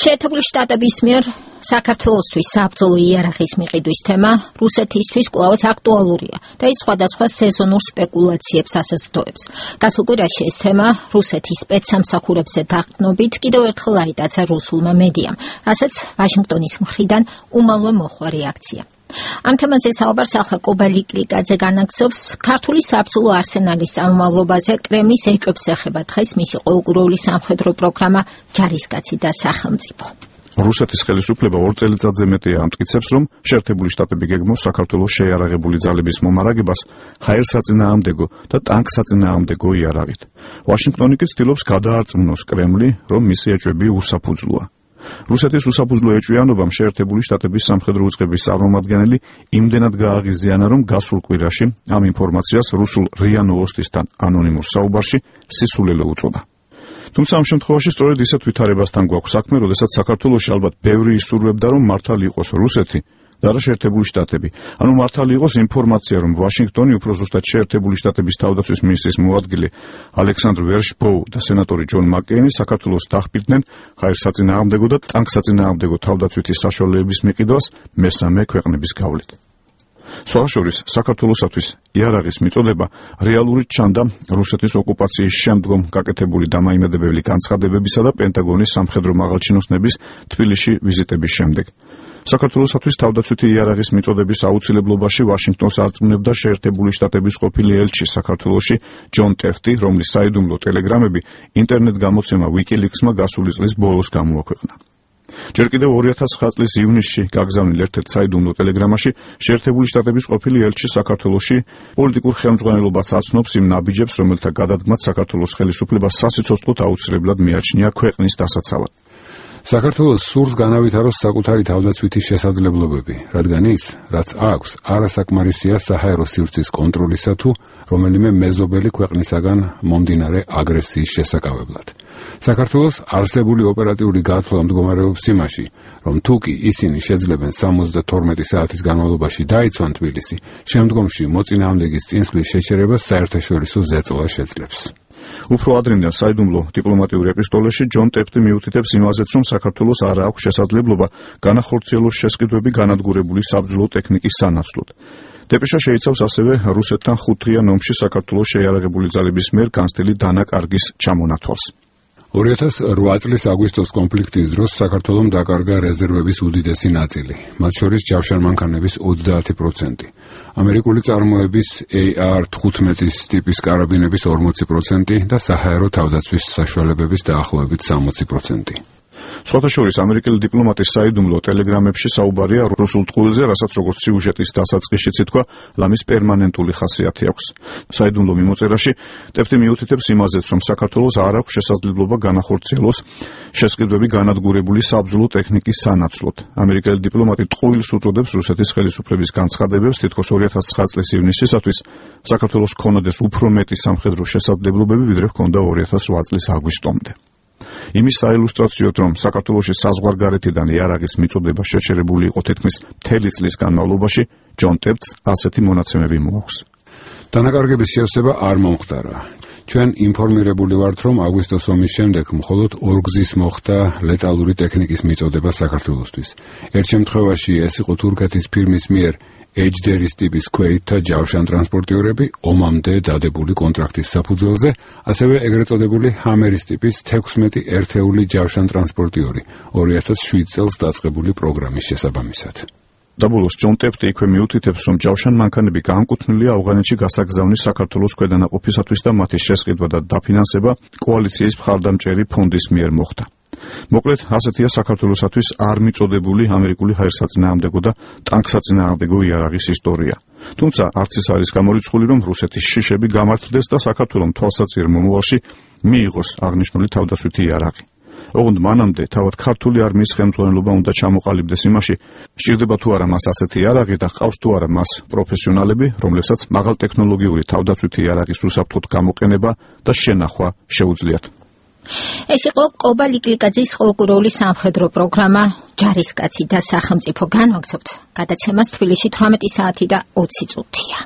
შეერთებული შტატების მიერ საქართველოსთვის საბრძოლო იარაღის მიყიდვის თემა რუსეთისთვის კვლავაც აქტუალურია და ის სხვადასხვა სეზონურ სპეკულაციებს ასაცდოებს. გასულ კვირაში ეს თემა რუსეთის სპეცსამსახურებზე დაყრდნობით კიდევ ერთხელ აიტაცა რუსულმა მედიამ, რასაც ვაშინგტონის მხრიდან უმალვე მოჰყვა რეაქცია. ამ თემაზე საუბარს ახლა კობა ლიკლიკაძე განაგრძობს. ქართული საბრძოლო არსენალის წარმომავლობაზე კრემლის ეჭვებს ეხება დღეს მისი ყოველკვირეული სამხედრო პროგრამა ჯარისკაცი და სახელმწიფო. რუსეთის ხელისუფლება 2 წელიწადზე მეტია ამტკიცებს, რომ შეერთებული შტატები გეგმავს საქართველოს შეიარაღებული ძალების მომარაგებას ჰაერსაწინააღმდეგო და ტანკსაწინააღმდეგო იარაღით. ვაშინგტონი კი ცდილობს გადაარწმუნოს კრემლი, რომ მისი ეჭვები უსაფუძვლოა. რუსეთის უსაფუძვლო ეჭვიანობამ შეერთებული შტატების სამხედრო უწყების წარმომადგენელი იმდენად გააღიზიანა, რომ გასულ კვირაში ამ ინფორმაციას რუსულ RIA Novostisთან ანონიმურ საუბარში სისულელე უწოდა. თუმცა ამ შემთხვევაში სწორედ ისეთ ვითარებასთან გვაქვს საქმე, როდესაც საქართველოში ალბათ ბევრი ისურვებდა, რომ მართალი იყოს რუსეთი და არა შეერთებული შტატები. ანუ მართალი იყოს ინფორმაცია, რომ ვაშინგტონი უფრო ზუსტად შეერთებული შტატების თავდაცვის მინისტრის მოადგილე ალექსანდრ ვერშბოუ და სენატორი ჯონ მაკეინი საქართველოს დახბირდნენ ჰაერსაწინააღმდეგო და ტანკსაწინააღმდეგო თავდაცვითი საშუალებების მიყიდვას მესამე ქვეყნების გავლით. სხვაშორის საქართველოსათვის იარაღის მიწოდება რეალურად ჩანდა რუსეთის ოკუპაციის შემდგომ გაკეთებული დამაიმედებელი განცხადებებისა და პენტაგონის სამხედრო მაღალჩინოსნების თბილისში ვიზიტების შემდეგ. საქართველოსათვის თავდაცვითი იარაღის მიწოდების აუცილებლობაში ვაშინგტონს არწმუნებდა შეერთებული შტატების ყოფილი ელჩი საქართველოში ჯონ ტეფტი, რომლის საიდუმლო ტელეგრამები ინტერნეტ გამოცემა WikiLeaks-მა გასული წლის ბოლოს გამოაქვეყნა. ჯერ კიდევ 2009 წლის ივნისში გაგზავნილ ერთ-ერთ საიდუმლო ტელეგრამაში შეერთებული შტატების ყოფილი ელჩი საქართველოში პოლიტიკურ ხელმძღვანელობას აცნობს იმ ნაბიჯებს, რომელთა გადადგმაც საქართველოს ხელისუფლებას სასიცოცხლოდ აუცილებლად მიაჩნია ქვეყნის დასაცავად. საქართველოს სურს განავითაროს საკუთარი თავდაცვითი შესაძლებლობები, რადგან ის, რაც აქვს, არასაკმარისია საჰაერო სივრცის კონტროლისა თუ რომელიმე მეზობელი ქვეყნისაგან მომდინარე აგრესიის შესაკავებლად. საქართველოს არსებული ოპერატიული გათვლა მდგომარეობს იმაში, რომ თუკი ისინი შეძლებენ 72 საათის განმავლობაში დაიცვან თბილისი, შემდგომში მოწინააღმდეგის წინსვლის შეჩერებას საერთაშორისო ზეწოლა შეძლებს. უფრო ადრინდელ საიდუმლო დიპლომატიურ ეპისტოლეში ჯონ ტეფტი მიუთითებს იმაზეც, რომ საქართველოს არ აქვს შესაძლებლობა განახორციელოს შესყიდვები განადგურებული საბრძოლო ტექნიკის სანაცვლოდ. დეპეშა შეიცავს ასევე რუსეთთან 5 დღიან ომში საქართველოს შეიარაღებული ძალების მიერ განცდილი დანაკარგის ჩამონათვალს. 2008 წლის აგვისტოს კონფლიქტის დროს საქართველომ დაკარგა რეზერვების უდიდესი ნაწილი, მათ შორის ჯავშანმანქანების 30%, ამერიკული წარმოების AR-15 ტიპის კარაბინების 40% და საჰაერო თავდაცვის საშუალებების დაახლოებით 60%. სხვათა შორის ამერიკელი დიპლომატის საიდუმლო ტელეგრამებში საუბარია რუსულ ტყუილზე, რასაც როგორც სიუჟეტის დასაწყისშიც ითქვა, ლამის პერმანენტული ხასიათი აქვს. საიდუმლო მიმოწერაში ტეფტი მიუთითებს იმაზეც, რომ საქართველოს არ აქვს შესაძლებლობა განახორციელოს შესყიდვები განადგურებული საბრძოლო ტექნიკის სანაცვლოდ. ამერიკელი დიპლომატი ტყუილს უწოდებს რუსეთის ხელისუფლების განცხადებებს, თითქოს 2009 წლის ივნისისათვის საქართველოს ჰქონოდეს უფრო მეტი სამხედრო შესაძლებლობები, ვიდრე ჰქონდა 2008 წლის აგვისტომდე. იმის საილუსტრაციოდ, რომ საქართველოში საზღვარგარეთიდან იარაღის მიწოდება შეჩერებული იყო თითქმის მთელი წლის განმავლობაში, ჯონ ტეფტს ასეთი მონაცემები მოაქვს. დანაკარგების შევსება არ მომხდარა. ჩვენ ინფორმირებული ვართ, რომ აგვისტოს ომის შემდეგ მხოლოდ 2 გზის მოხდა ლეტალური ტექნიკის მიწოდება საქართველოსთვის. ერთ შემთხვევაში ეს იყო თურქეთის ფირმის მიერ ეჯდერის ტიპის ქვეითთა ჯავშანტრანსპორტიორები ომამდე დადებული კონტრაქტის საფუძველზე, ასევე ეგრეთ წოდებული ჰამერის ტიპის 16 ერთეული ჯავშანტრანსპორტიორი 2007 წელს დაწყებული პროგრამის შესაბამისად. დაბოლოს ჯონ ტეფტი იქვე მიუთითებს, რომ ჯავშანმანქანები განკუთვნილია ავღანეთში გასაგზავნის საქართველოს ქვედანაყოფისათვის და მათი შესყიდვა და დაფინანსება კოალიციის მხარდამჭერი ფონდის მიერ მოხდა. მოკლედ, ასეთია საქართველოსათვის არ მიწოდებული ამერიკული ჰაერსაწინააღმდეგო და ტანკსაწინააღმდეგო იარაღის ისტორია. თუმცა არც ის არის გამორიცხული, რომ რუსეთის შიშები გამართლდეს და საქართველოს თვალსაჩინო მომავალში მიიღოს აღნიშნული თავდაცვითი იარაღი. ოღონდ მანამდე თავად ქართული არმიის ხელმძღვანელობა უნდა ჩამოყალიბდეს იმაში, სჭირდება თუ არა მას ასეთი იარაღი და ყავს თუ არა მას პროფესიონალები, რომლებსაც მაღალტექნოლოგიური თავდაცვითი იარაღის უსაფრთხოდ გამოყენება და შენახვა შეუძლიათ. ეს იყო კობა ლიკლიკაძის ყოველკვირეული სამხედრო პროგრამა ჯარისკაცი და სახელმწიფო. განვაგრძობთ გადაცემას თბილისში 18 საათი და 20 წუთია.